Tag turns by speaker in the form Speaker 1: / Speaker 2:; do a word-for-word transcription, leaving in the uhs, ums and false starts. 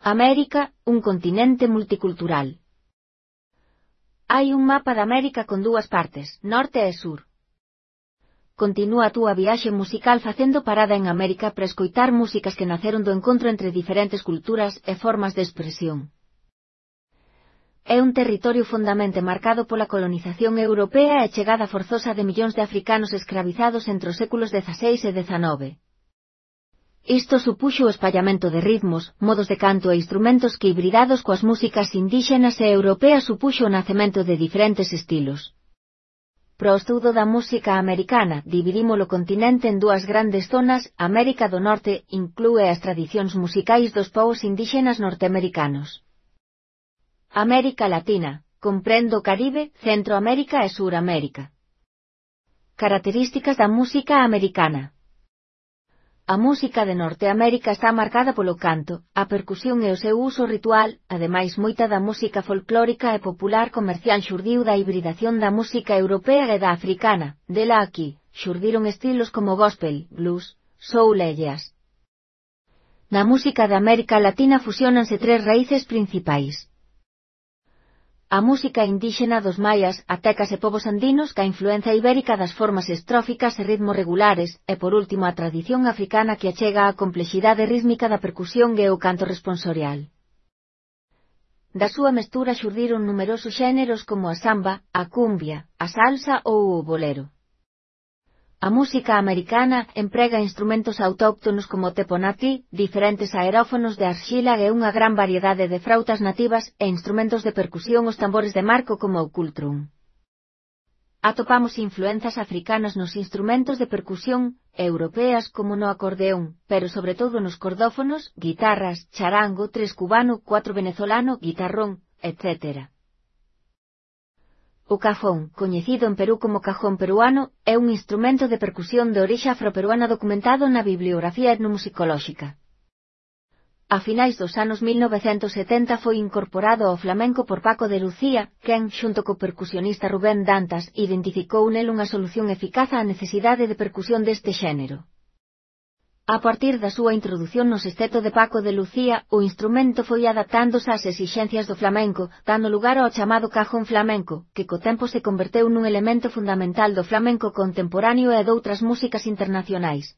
Speaker 1: América, un continente multicultural. Hai un mapa de América con dúas partes, norte e sur. Continúa a túa viaxe musical facendo parada en América para escoitar músicas que naceron do encontro entre diferentes culturas e formas de expresión. É un territorio fondamente marcado pola colonización europea e chegada forzosa de millóns de africanos escravizados entre os séculos dezaseis e dezanove. Isto supuxo o espallamento de ritmos, modos de canto e instrumentos que hibridados coas músicas indíxenas e europeas supuxo o nacemento de diferentes estilos. Para o estudo da música americana, dividimos o continente en dúas grandes zonas. América do Norte inclúe as tradicións musicais dos povos indíxenas norteamericanos. América Latina, comprende o Caribe, Centroamérica e Suramérica. Características da música americana. A música de Norteamérica está marcada polo canto, a percusión e o seu uso ritual, ademais moita da música folclórica e popular comercial xurdiu da hibridación da música europea e da africana. Dela aquí, xurdiron estilos como gospel, blues, soul e jazz. Na música de América Latina fusionanse tres raíces principais. A música indíxena dos maias, atecas e povos andinos ca influencia ibérica das formas estróficas e ritmos regulares, e por último a tradición africana que achega a complexidade rítmica da percusión e o canto responsorial. Da súa mestura xurdiron numerosos xéneros como a samba, a cumbia, a salsa ou o bolero. A música americana emprega instrumentos autóctonos como o teponatli, diferentes aerófonos de arxila e unha gran variedade de frautas nativas e instrumentos de percusión os tambores de marco como o cultrum. Atopamos influenzas africanas nos instrumentos de percusión, europeas como no acordeón, pero sobre todo nos cordófonos, guitarras, charango, tres cubano, cuatro venezolano, guitarrón, etcétera. O cajón, coñecido en Perú como cajón peruano, é un instrumento de percusión de orixe afroperuana documentado na bibliografía etnomusicolóxica. A finais dos anos mil novecentos setenta foi incorporado ao flamenco por Paco de Lucía, quen, xunto co percusionista Rubén Dantas, identificou nel unha solución eficaz á necesidade de percusión deste xénero. A partir da súa introdución no sexteto de Paco de Lucía, o instrumento foi adaptándose ás exixencias do flamenco, dando lugar ao chamado cajón flamenco, que co tempo se converteu nun elemento fundamental do flamenco contemporáneo e doutras músicas internacionais.